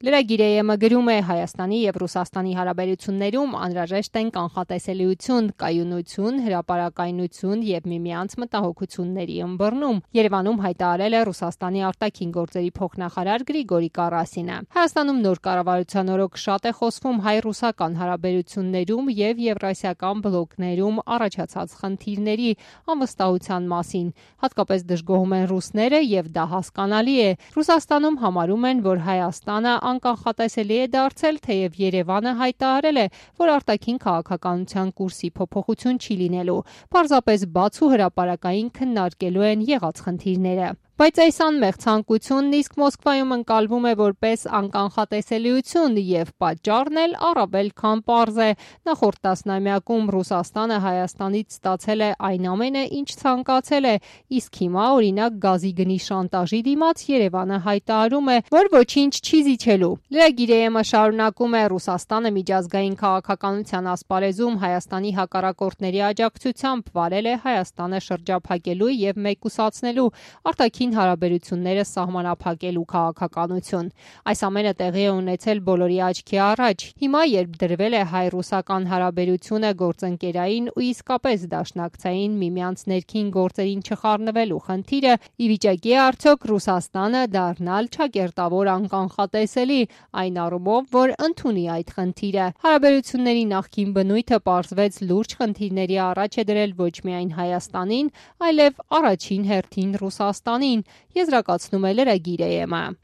Լրագիր ԵՄ գրում է Հայաստանի եւ Ռուսաստանի հարաբերություններում անհրաժեշտ են կանխատեսելիություն, կայունություն, հրապարակայնություն եւ միմյանց մտահոգությունների ըմբռնում։ Երևանում հայտարարել է Ռուսաստանի արտաքին գործերի փոխնախարար Գրիգորի Կարասինը։ Հայաստանում նոր կառավարության օրոք շատ է խոսվում հայ-ռուսական հարաբերություններում եւ եվրասիական բլոկներում առաջացած խնդիրների անվստահության մասին։ Հատկապես դժգոհում են ռուսները եւ դա հասկանալի է։ Ռուսաստանում համարում են, որ Հայաստանը անկանխատեսելի է դարձել, թեև Երևանը հայտարարել է, որ արտաքին քաղաքականության կուրսի փոփոխություն չի լինելու, պարզապես բաց ու հրապարակային քննարկելու են եղած խնդիրները։ Բայց այս անմեղ ցանկությունն իսկ Մոսկվայում ընկալվում է որպես անկանխատեսելիություն եւ պատճառն էլ առավել քան պարզ է։ Նախորդ տասնամյակում Ռուսաստանը Հայաստանից ստացել է այն ամենը, ինչ ցանկացել է, իսկ հիմա օրինակ գազի գնի շանտաժի դիմաց Երևանը հայտարարում է, որ ոչինչ չի զիջելու։ Լրագիր ԵՄ շարունակում է Ռուսաստանը միջազգային քաղաքականության ասպարեզում Հայաստանի հակառակորդների աջակցությամբ վարել է Հայաստանը շրջափակելու եւ մեկուսացնելու արտաքին հարաբերությունները սահմանափակելու քաղաքականություն։ Այս ամենը տեղի է ունեցել բոլորի աչքի առաջ։ Հիմա, երբ դրվել է հայ-ռուսական հարաբերությունը գործընկերային ու իսկապես դաշնակցային միմյանց ներքին գործերին չխառնվելու խնդիրը, ի վիճակի է արդյոք Ռուսաստանը դառնալ չակերտավոր անկանխատեսելի, այն առումով, որ ընդունի այդ խնդիրը։ Հարաբերությունների նախկին բնույթը պարզվեց լուրջ խնդիրների առաջ է դրել ոչ միայն Հայաստանին, այլև առաջին հերթին Ռուսաստանին, եզրակացնում է լրագիր ԵՄ։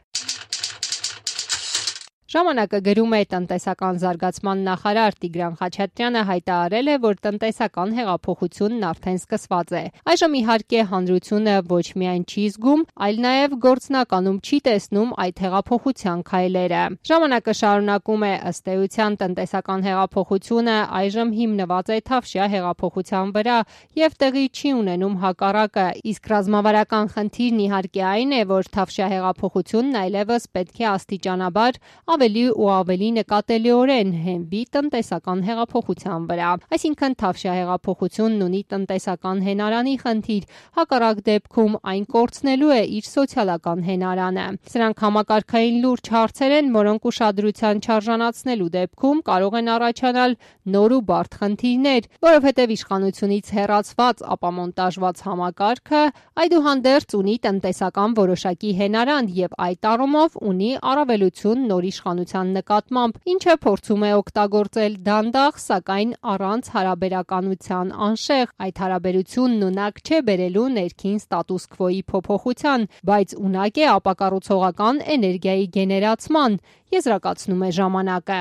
Ժամանակը գրում է տնտեսական զարգացման նախարար Տիգրան Խաչատրյանը հայտարարել է, որ տնտեսական հեղափոխությունն արդեն սկսված է։ Այժմ իհարկե հանրությունը ոչ միայն չի զգում, այլ նաև գործնականում չի տեսնում այդ հեղափոխության քայլերը։ Ժամանակը շարունակում է ըստ էության տնտեսական հեղափոխությունը այժմ հիմնված է Թավշյա հեղափոխության վրա եւ տեղի չի ունենում հակառակը, իսկ ռազմավարական խնդիրն իհարկե այն է, որ Թավշյա հեղափոխությունն այլևս պետք է աստիճանաբար ավելի ու ավելի նկատելիորեն հենվի տնտեսական հեղափոխության վրա։ Այսինքն Թավշյա հեղափոխությունն ունի տնտեսական հենարանի խնդիր, հակառակ դեպքում այն կորցնելու է իր սոցիալական հենարանը։ Սրանք համակարգային լուրջ հարցեր են, որոնք ուշադրության չարժանացնելու դեպքում կարող են առաջանալ նոր ու բարդ խնդիրներ, որովհետև իշխանությունից հեռացված ապամոնտաժված համակարգը այդուհանդերձ ունի տնտեսական որոշակի հենարան եւ այդ առումով ունի առավելություն նոր իշխանության նկատմամբ, ինչը փորձում է օգտագործել դանդաղ, սակայն առանց հարաբերականության անշեղ։ Այդ հարաբերությունն ունակ չէ բերելու ներքին ստատուս քվոյի փոփոխության, բայց ունակ է ապակառուցողական էներգիայի գեներացման, եզրակացնում է ժամանակը։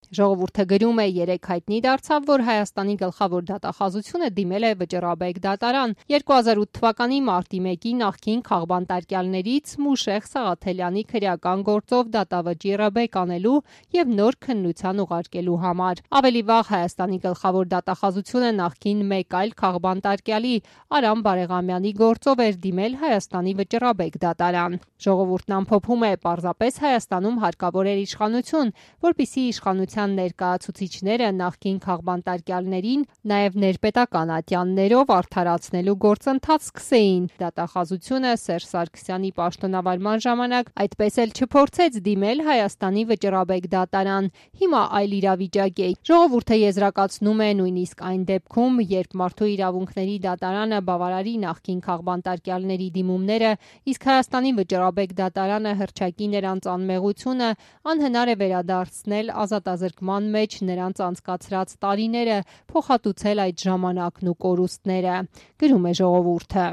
Ժողովուրդը գրում է երեկ հայտնի դարձավ, որ Հայաստանի գլխավոր դատախազությունը դիմել է Վճռաբեկ դատարան 2008 թվականի մարտի 1-ի նախկին քաղբանտարկյալներից Մուշեղ Սաղաթելյանի քրեական գործով դատավճիռը բեկանելու եւ նոր քննության ուղարկելու համար։ Ավելի վաղ Հայաստանի գլխավոր դատախազությունը նախկին մեկ այլ քաղբանտարկյալի Արամ Բարեղամյանի գործով էր դիմել Հայաստանի Վճռաբեկ դատարան։ Ժողովուրդն ամփոփում է, պարզապես Հայաստանում հարկավոր էր իշխանություն, որպեսզի իշխանության ներկայացուցիչները նախկին քաղբանտարկյալներին նաև ներպետական ատյաններով արդարացնելու գործընթաց սկսեին։ Դատախազությունը Սերժ Սարգսյանի պաշտոնավարման ժամանակ այդպես էլ չփորձեց դիմել Հայաստանի Վճռաբեկ դատարան։ Հիմա այլ իրավիճակ է։ Ժողովուրդը եզրակացնում է նույնիսկ այն դեպքում, երբ Մարդու իրավունքների դատարանը բավարարի նախկին քաղբանտարկյալների դիմումները, իսկ Հայաստանի Վճռաբեկ դատարանը հռչակի նրանց անմեղությունը, անհնար է վերադարձնել ազատազրկման մեջ նրանց անցկացրած տարիները, փոխհատուցել այդ ժամանակն ու կորուստները, գրում է ժողովուրդը։